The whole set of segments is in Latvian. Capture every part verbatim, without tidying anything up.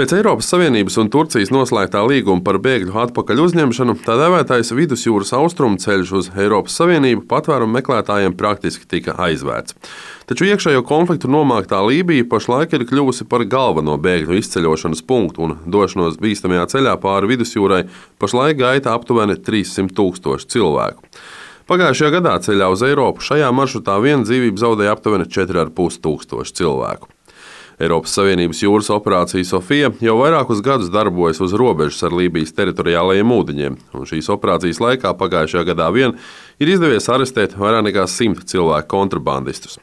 Pēc Eiropas Savienības un Turcijas noslēgtā līguma par bēgļu atpakaļ uzņemšanu, tā dēvētais vidusjūras austrumu ceļš uz Eiropas Savienību patvērumu meklētājiem praktiski tika aizvērts. Taču iekšējo konfliktu nomāktā Lībija pašlaik ir kļuvusi par galveno bēgļu izceļošanas punktu, un došanos bīstamajā ceļā pāri vidusjūrai pašlaik gaita aptuveni trīssimt tūkstoši cilvēku. Pagājušajā gadā ceļā uz Eiropu šajā maršrutā viena dzīvību zaudēja aptuveni četri ar pus tūkstoši cilvēku. Eiropas Savienības jūras operācija Sofija jau vairākus gadus darbojas uz robežas ar Lībijas teritoriālajiem ūdeņiem, un šīs operācijas laikā pagājušajā gadā vien ir izdevies arestēt vairāk nekā simt cilvēku kontrabandistus.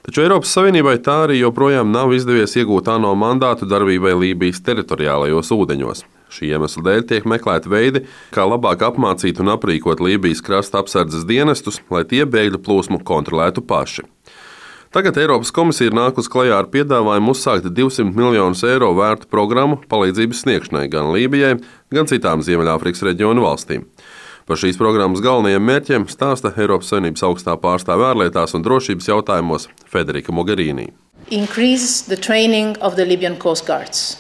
Taču Eiropas Savienībai tā arī joprojām nav izdevies iegūt ANO mandātu darbībai Lībijas teritoriālajos ūdeņos. Šī iemesla dēļ tiek meklēti veidi, kā labāk apmācīt un aprīkot Lībijas krasta apsardzes dienestus, lai tie bēgļu plūsmu kontrolētu paši. Tagad Eiropas komisija ir nākusi klajā ar piedāvājumu uzsākt divsimt miljonus eiro vērtu programmu palīdzības sniegšanai gan Lībijai, gan citām Ziemeļāfrikas reģionu valstīm. Par šīs programmas galvenajiem mērķiem stāsta Eiropas Savienības augstā pārstāve ārlietās un drošības jautājumos Federica Mogherini. Increase the training of the Libyan Coast Guards.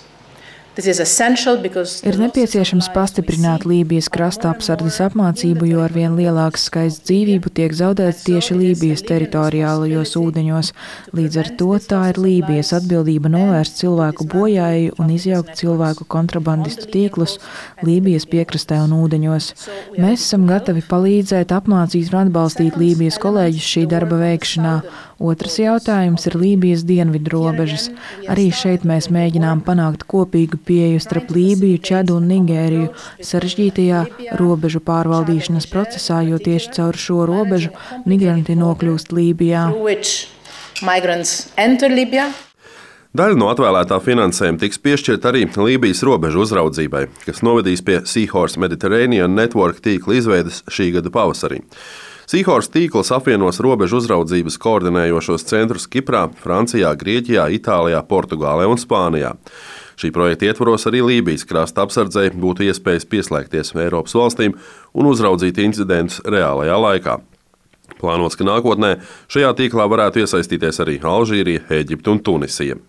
Ir nepieciešams pastiprināt Lībijas krasta apsardzes apmācību, jo arvien lielāks skaits dzīvību tiek zaudēts tieši Lībijas teritoriālajos ūdeņos. Līdz ar to tā ir Lībijas atbildība novērst cilvēku bojāju un izjaukt cilvēku kontrabandistu tīklus Lībijas piekrastē un ūdeņos. Mēs esam gatavi palīdzēt, apmācīt un atbalstīt Lībijas kolēģus šī darba veikšanā. Otrs jautājums ir Lībijas dienvidu robežas. Arī šeit mēs mēģinām panākt kopīgu pieeju starp Lībiju, Čadu un Nigēriju sarežģītajā robežu pārvaldīšanas procesā, jo tieši caur šo robežu migranti nokļūst Lībijā. Daļa no atvēlētā finansējuma tiks piešķirta arī Lībijas robežu uzraudzībai, kas novedīs pie Seahorse Mediterranean Network tīkla izveides šī gada pavasarī. Seahorse tīkls apvienos robežu uzraudzības koordinējošos centrus Kiprā, Francijā, Grieķijā, Itālijā, Portugālē un Spānijā. Šī projekta ietvaros arī Lībijas krasta apsardzei būtu iespējas pieslēgties Eiropas valstīm un uzraudzīt incidentus reālajā laikā. Plānots, ka nākotnē šajā tīklā varētu iesaistīties arī Alžīrija, Ēģipte un Tunisija.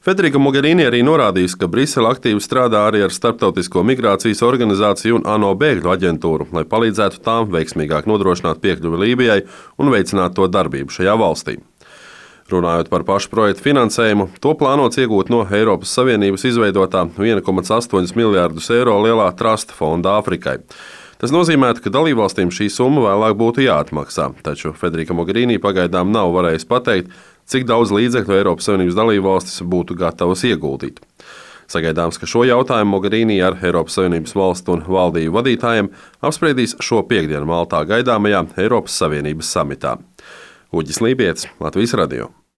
Federica Mogherini arī norādījusi, ka Brisele aktīvi strādā arī ar Starptautisko migrācijas organizāciju un ANO bēgļu aģentūru, lai palīdzētu tām veiksmīgāk nodrošināt piekļuvi Lībijai un veicināt to darbību šajā valstī. Runājot par pašu projektu finansējumu, to plānots iegūt no Eiropas Savienības izveidotā viena komats astoņi miljārdus eiro lielā trusta fonda Āfrikai. Tas nozīmētu, ka dalībvalstīm šī summa vēlāk būtu jāatmaksā, taču Federica Mogherini pagaidām nav varējusi pateikt, cik daudz līdzekļu Eiropas Savienības dalībvalstis būtu gatavas ieguldīt. Sagaidāms, ka šo jautājumu Mogherini ar Eiropas Savienības valstu un valdību vadītājiem apspriedīs šo piektdienu Maltā gaidāmajā Eiropas Savienības samitā. Uģis Lībietis, Latvijas radio.